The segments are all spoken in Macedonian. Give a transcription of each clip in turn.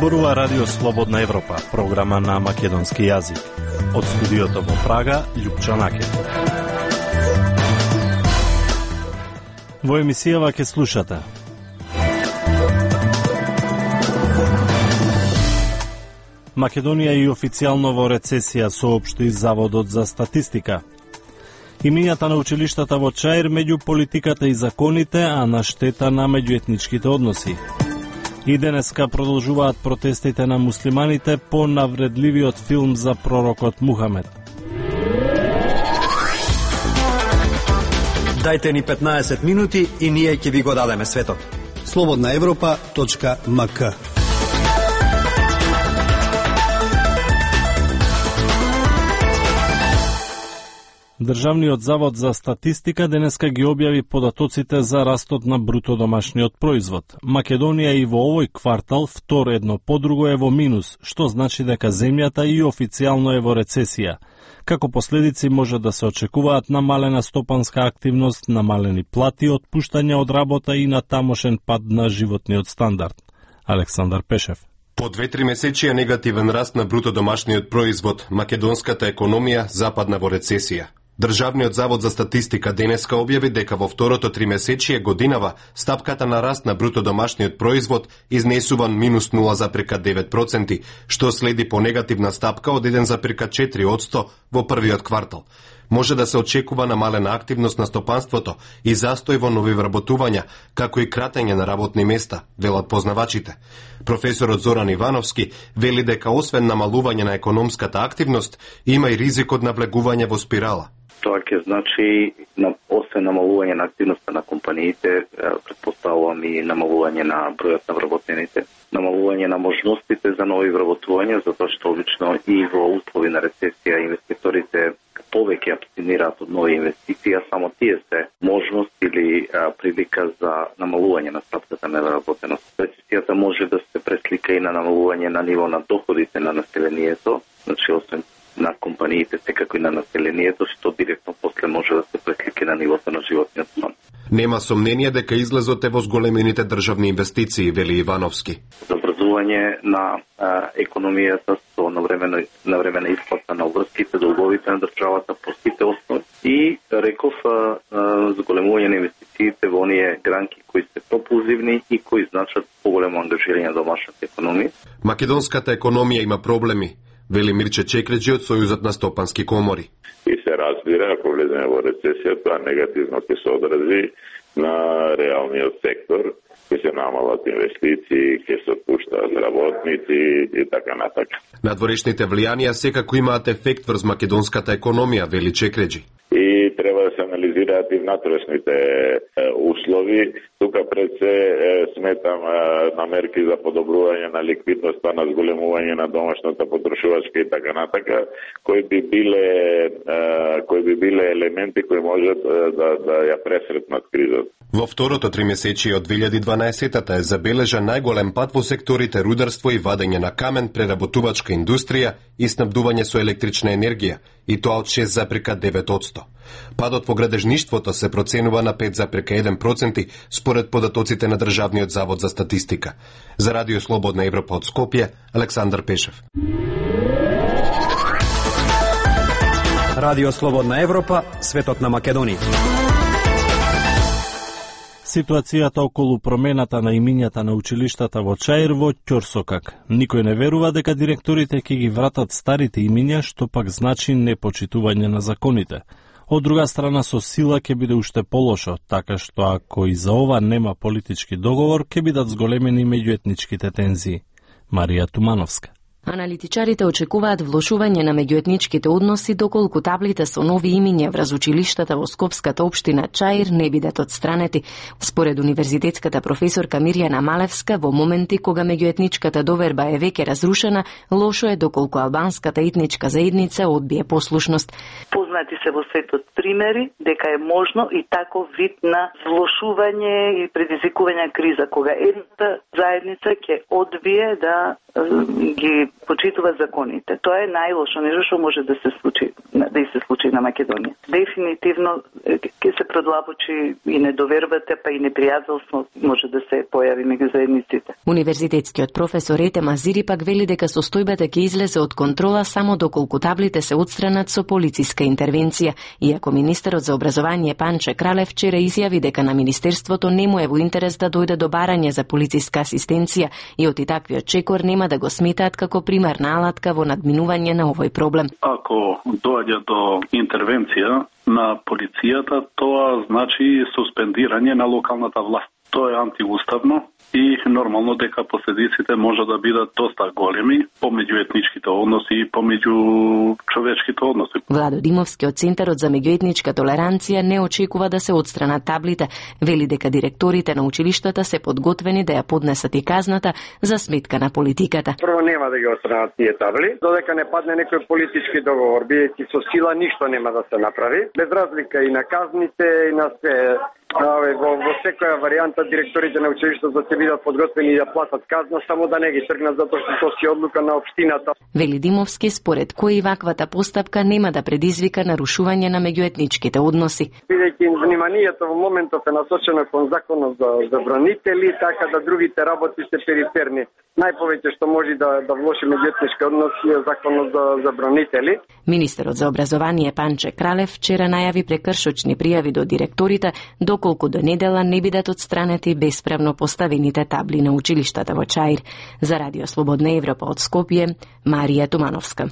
Зборува Радио Слободна Европа, програма на македонски јазик. Од студиото во Прага, Љупчо Накет. Во емисијава ќе слушате: Македонија и официјално во рецесија, соопшти Заводот за статистика. Имињата на училиштата во Чаир меѓу политиката и законите, а на штета на меѓуетничките односи. И денеска продолжуваат протестите на муслиманите по навредливиот филм за пророкот Мухамед. Дајте ни 15 минути и ние ќе ви го дадеме светот. slobodnaevropa.mk. Државниот завод за статистика денеска ги објави податоците за растот на бруто домашниот производ. Македонија и во овој квартал втор едно по друго е во минус, што значи дека земјата и официјално е во рецесија. Како последици може да се очекуваат намалена стопанска активност, намалени плати, отпуштања од работа и на тамошен пад на животниот стандард. Александар Пешев. По 2-3 месечија негативен раст на бруто домашниот производ, македонската економија западна во рецесија. Државниот завод за статистика денеска објави дека во второто тримесечие годинава стапката на раст на бруто домашниот производ изнесуван минус 0,9%, што следи по негативна стапка од 1,4% во првиот квартал. Може да се очекува намалена активност на стопанството и застој во нови вработувања, како и кратење на работни места, велат познавачите. Професорот Зоран Ивановски вели дека освен намалување на економската активност, има и ризик од навлегување во спирала. Тоа ќе значи, освен намалување на активноста на компаниите, предпоставувам и намалување на бројот на вработените, намалување на можностите за нови вработувања, затоа што обично и во услови на рецесија инвеститорите повеќе абстинираат од нови инвестиции, а само тие се можност или прилика за намалување на стапката на вработеност. Рецесијата може да се преслика и на намалување на ниво на доходите на населението, значи освен на компаниите, секако и на населението, што директно после може да се преслика на нивото на животниот стандард. Нема сомнение дека излезот е во зголемените државни инвестиции, вели Ивановски. За образување на економијата со навремена исплата на обврските, долговите на државата по сите основи и реков зголемување на инвестициите во оние гранки кои се пропулзивни и кои значат поголемо ангажирање на домашната економија. Македонската економија има проблеми, вели Мирче Чекреджи од Сојузот на стопански комори. И се разбира, ако влеземе во рецесија, тоа негативно ќе се одрази на реалниот сектор, ќе се намалат инвестиции, ќе се отпуштаат работници и така натака. Надворешните влијанија секако имаат ефект врз македонската економија, вели Чекреджи. И треба да се анализираат и внатрешните услови. Тука пред се сметам на мерки за подобрување на ликвидноста, на зголемување на домашната потрошувачка и така натака, кои би биле елементи кои можат да ја пресретнат кризата. Во второто тримесечие од 2012-та е забележан најголем пад во секторите рударство и вадење на камен, преработувачка индустрија и снабдување со електрична енергија, и тоа од 6,9%. Падот во градежништвото се проценува на 5,1% според податоците на Државниот завод за статистика. За Радио Слободна Европа од Скопје, Александар Пешев. Радио Слободна Европа, светот на Македонија. Ситуацијата околу промената на имињата на училиштата во Чаир во ќорсокак. Никој не верува дека директорите ќе ги вратат старите имиња, што пак значи непочитување на законите. Од друга страна, со сила ќе биде уште полошо, така што ако и за ова нема политички договор, ќе бидат зголемени меѓуетничките тензии. Марија Тумановска. Аналитичарите очекуваат влошување на меѓуетничките односи доколку таблите со нови имиња врз училиштата во Скопската општина Чаир не бидат отстранети. Според универзитетската професорка Мирјана Малевска, во моменти кога меѓуетничката доверба е веќе разрушена, лошо е доколку албанската етничка заедница одбие послушност. Познати се во светот примери дека е можно и таков вид на влошување и предизвикување на криза, кога едната заедница ќе одбие да ги почитува законите. Тоа е најлошо нешто што може да се случи на Македонија. Дефинитивно ќе се продлабочи и недовербата, па и непријателство може да се појави меѓу заедниците. Универзитетскиот професор Ете Мазири пак вели дека состојбата ќе излезе од контрола само доколку таблите се отстранат со полициска интервенција, иако министерот за образование Панче Кралев вчера изјави дека на министерството не му е во интерес да дојде до барање за полициска асистенција и оти таквиот чекор нема да го сметаат како примерна алатка во надминување на овој проблем. Ако доаѓа до интервенција на полицијата, тоа значи суспендирање на локалната власт. Тоа е антиуставно и нормално дека последиците може да бидат доста големи помеѓу етничките односи и помеѓу човечките односи. Владо Димовски од Центарот за меѓуетничка толеранција не очекува да се отстранат таблите. Вели дека директорите на училиштата се подготвени да ја поднесат и казната за сметка на политиката. Прво нема да ги отстранат тие табли, додека не падне некој политички договор, бидејќи со сила ништо нема да се направи, без разлика и на казните и на све. Во секоја варијанта директорите на училиштето ќе бидат подготвени да платат казна, само да не ги тргнат затоа што тоа си одлука на општината. Вели Димовски, според кој ваквата постапка нема да предизвика нарушување на меѓуетничките односи. Бидејќи вниманието во моментов е насочено кон законот за забранители, така да другите работи се периферни. Најповеќе што може да влоши меѓуетнички односи е законот за забранители. Министерот за образование Панче Кралев вчера најави прекршочни пријави до директорите доколку до недела не бидат отстранети бесправно поставените табли на училиштата во Чаир. За Радио Слободна Европа од Скопје, Марија Тумановска.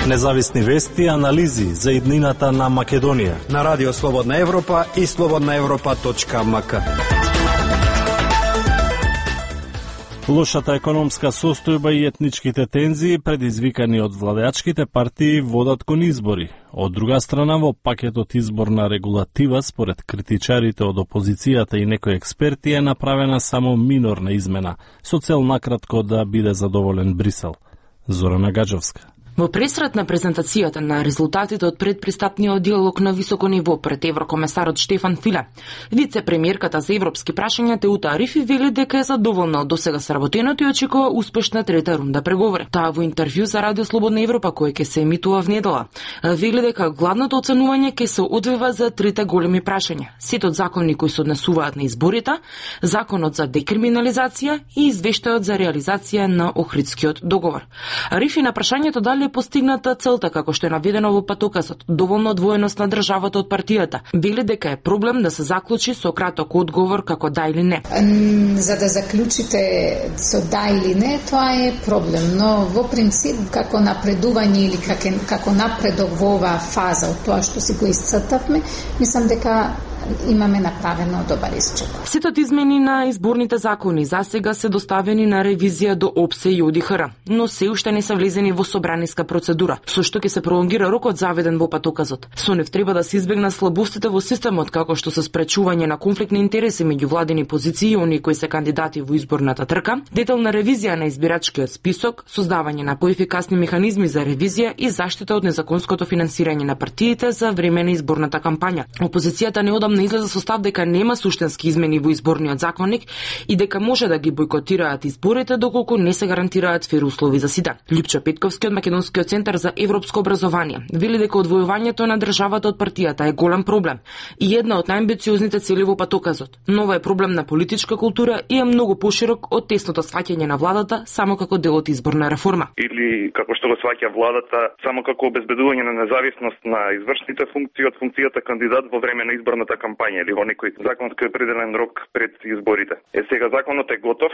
Независни вести и анализи за иднината на Македонија на Радио Слободна Европа и slobodnaevropa.mk. Лошата економска состојба и етничките тензии предизвикани од владеачките партии водат кон избори. Од друга страна, во пакетот изборна регулатива, според критичарите од опозицијата и некои експерти, е направена само минорна измена, со цел накратко да биде задоволен Брисел. Зорана Гаджовска. Во пресрет на презентацијата на резултатите од предпристапниот диалог на високо ниво пред еврокомесарот Штефан Филе, вице-премиерката за европски прашања Теута Арифи вели дека е задоволна од досега сработеното и очекува успешна трета рунда преговори. Таа во интервју за Радио Слободна Европа, кој ќе се емитува внедела, вели дека главното оценување ќе се одвива за трите големи прашања: сетот закони кои се однесуваат на изборите, законот за декриминализација и извештајот за реализација на Охридскиот договор. Арифи на прашањето дали е постигната целта како што е наведено во патокасот, доволно одвоеност на државата од партијата. Вели дека е проблем да се заклучи со краток одговор како да или не. За да заклучите со да или не, тоа е проблем, но во принцип како напредување или како напредок во оваа фаза од тоа што си го исцртавме, мислам дека имаме направено добар исчек. Сетот измени на изборните закони засега се доставени на ревизија до ОПСЕ и ОДИХР, но се уште не се влезени во собраниска процедура, со што ќе се пролонгира рокот заведен во патоказот. Со нив треба да се избегнат слабостите во системот, како што се спречување на конфликт на интереси меѓу владени позиции и оние кои се кандидати во изборната трка, детална ревизија на избирачкиот список, создавање на поефикасни механизми за ревизија и заштита од незаконското финансирање на партиите за време на изборната кампања. Опозицијата неодамна излезе со став дека нема суштински измени во изборниот законник и дека може да ги бойкотираат изборите доколку не се гарантираат фер услови за сите. Липчо Петковски од Македонскиот центар за европско образование вели дека одвојувањето на државата од партијата е голем проблем и една од најамбициозните цели во патоказот. Но ова е проблем на политичка култура и е многу поширок од тесното сваќање на владата само како дел од изборна реформа. Или како што го сваќа владата само како обезбедување на независност на извршните функции од функцијата кандидат во време на изборната кампања или во некој законски определен рок пред изборите. Сега законот е готов,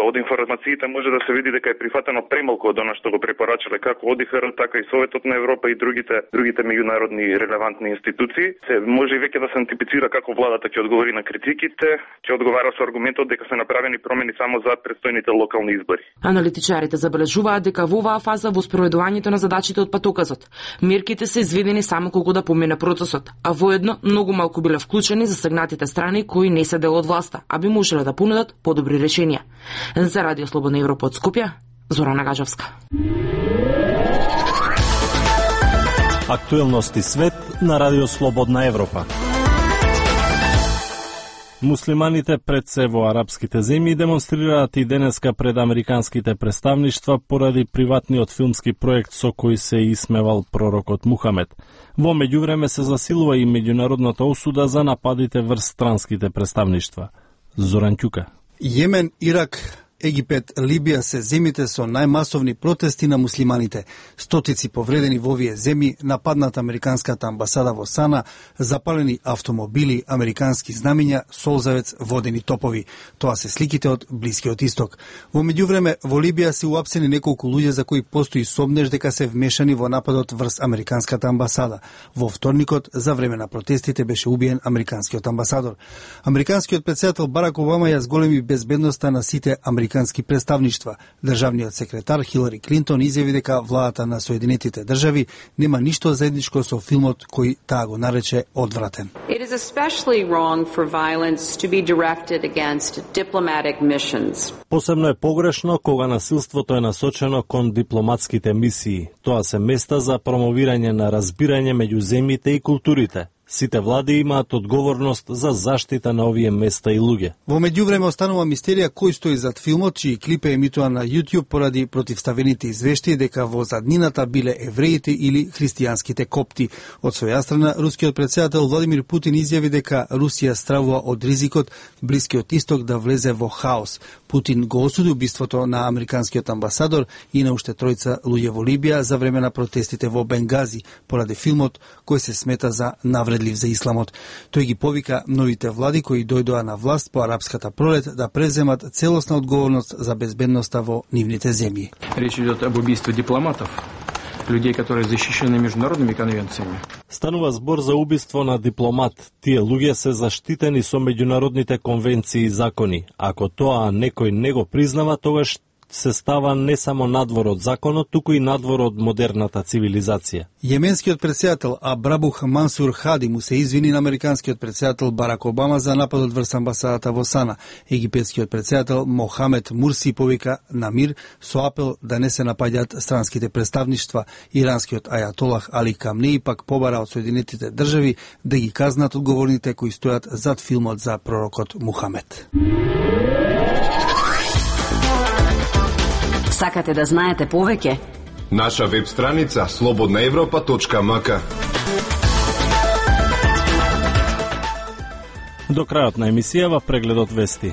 од информациите може да се види дека е прифатено премалку од она што го препорачале како ОДИХР, така и Советот на Европа и другите меѓународни релевантни институции. Се може и веќе да се антипицира како владата ќе одговори на критиките, ќе одговара со аргументот дека се направени промени само за предстојните локални избори. Аналитичарите забележуваат дека во оваа фаза во спроведувањето на задачите од патоказот, мерките се изведени само колку да помине процесот, а воедно многу малку биле вклучени засегнатите страни кои не се дел од власта, а би можеле да понудат подобри решенија. За Радио Слободна Европа од Скопје, Зорана Гаджовска. Актуелности свет на Радио Слободна Европа. Муслиманите пред се во арапските земји демонстрираат и денеска пред американските представништва поради приватниот филмски проект со кој се исмевал пророкот Мухамед. Во меѓувреме се засилува и меѓународната осуда за нападите врз странските представништва. Зоран Ќука. Јемен, Ирак, Египет, Либија се земите со најмасовни протести на муслиманите. Стотици повредени во овие земји, нападната американската амбасада во Сана, запалени автомобили, американски знамиња, солзавец, водени топови. Тоа се сликите од Блискиот Исток. Во меѓувреме, во Либија се уапсени неколку луѓе за кои постои сомнеж дека се вмешани во нападот врз американската амбасада. Во вторникот, за време на протестите, беше убиен американскиот амбасадор. Американскиот претседател Барак Обама ја зголеми безбедноста на сите американски представништва. Државниот секретар Хилари Клинтон изјави дека владата на Соединетите држави нема ништо заедничко со филмот кој таа го нарече одвратен. It is especially wrong for violence to be directed against diplomatic missions. Посебно е погрешно кога насилството е насочено кон дипломатските мисии. Тоа се места за промовирање на разбирање меѓу земјите и културите. Сите влади имаат одговорност за заштита на овие места и луѓе. Во меѓувреме останува мистерија кој стои зад филмот, чии клип е емитуван на YouTube поради противставените извештаи дека во заднината биле евреите или христијанските копти. Од своја страна, рускиот претседател Владимир Путин изјави дека Русија стравува од ризикот Блискиот Исток да влезе во хаос. Путин го осуди убиството на американскиот амбасадор и на уште тројца луѓе во Либија за време на протестите во Бенгази поради филмот кој се смета за навредлив за исламот. Тој ги повика новите влади кои дојдоа на власт по арапската пролет да преземат целосна одговорност за безбедноста во нивните земји. Речь идет об убийстве дипломатов, людей, которые защищены международными конвенциями. Станува збор за убиство на дипломат. Тие луѓе се заштитени со меѓународните конвенции и закони. Ако тоа некој не го признава, тогаш се става не само надвор од законот, туку и надвор од модерната цивилизација. Јеменскиот претседател Абрабух Мансур Хади му се извини на американскиот претседател Барак Обама за нападот врз амбасадата во Сана. Египетскиот претседател Мохамед Мурси повика на мир со апел да не се напаѓаат странските представништва. Иранскиот ајатолах Али Камнеи пак побара од Соединетите држави да ги казнат одговорните кои стојат зад филмот за пророкот Мухамед. Сакате да знаете повеќе? Наша веб страница slobodnaevropa.mk. До крајот на емисијава прегледот вести.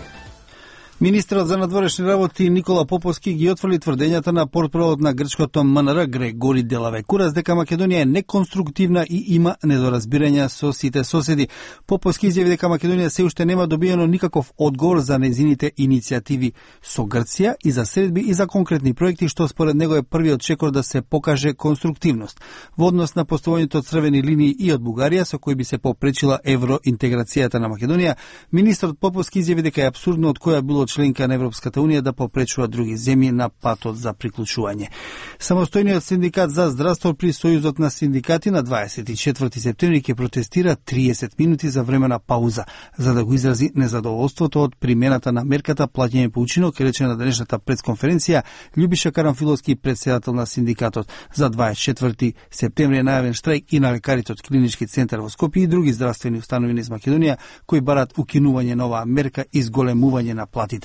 Министерот за надворешни работи Никола Поповски ги отфрли тврдењата на портпаролот на грчкото МНР Грегори Делавекурас дека Македонија е неконструктивна и има недоразбирања со сите соседи. Поповски изјави дека Македонија се уште нема добиено никаков одговор за незините иницијативи со Грција и за средби и за конкретни проекти, што според него е првиот чекор да се покаже конструктивност во однос на поставувањето од црвени линии и од Бугарија со кои би се попречила евроинтеграцијата на Македонија. Министерот Поповски изјави дека е апсурдно од која било членка на Европската унија да попречува други земји на патот за приклучување. Самостојниот синдикат за здравство при Сојузот на синдикати на 24 септември ќе протестира 30 минути за времена пауза, за да го изрази незадоволството од примената на мерката плаќање по учинок, рече на денешната пресконференција Љубиша Карамфиловски, претседател на синдикатот. За 24 септември е најавен штрајк и на лекарите од Клинички центар во Скопје и други здравствени установи низ Македонија кои барат укинување на оваа мерка и зголемување на платите.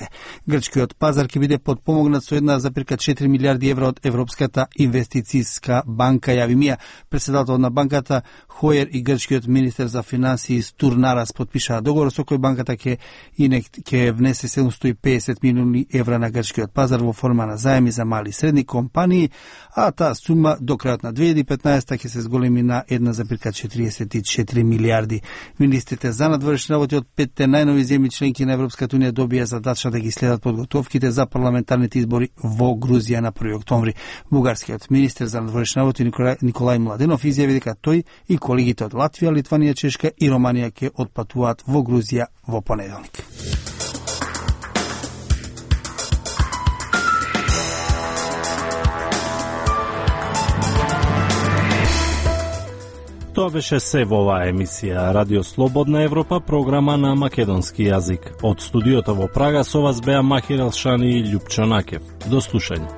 Грчкиот пазар ќе биде подпомогнат со 1,4 милиарди евро од Европската инвестицијска банка, јави Мија. Председател на банката Хоер и грчкиот министер за финансии Стурнарас подпишаа договор со кој банката ќе внесе 750 милиони евра на грчкиот пазар во форма на заеми за мали и средни компании, а таа сума до крајот на 2015 ќе се зголеми на 1,44 милиарди. Министрите за надворешни работи од 5 најнови земји членки на Европската унија добија задача да ги следат подготовките за парламентарните избори во Грузија на 1 октомври. Бугарскиот министер за надворешни работи Николај Младенов изјави дека тој и колегите од Латвија, Литванија, Чешка и Романија ќе отпатуваат во Грузија во понеделник. Тоа беше се во оваа емисија Радио Слободна Европа, програма на македонски јазик. Од студиото во Прага со вас беа Махир Елшани и Љупчо Накев. До слушање.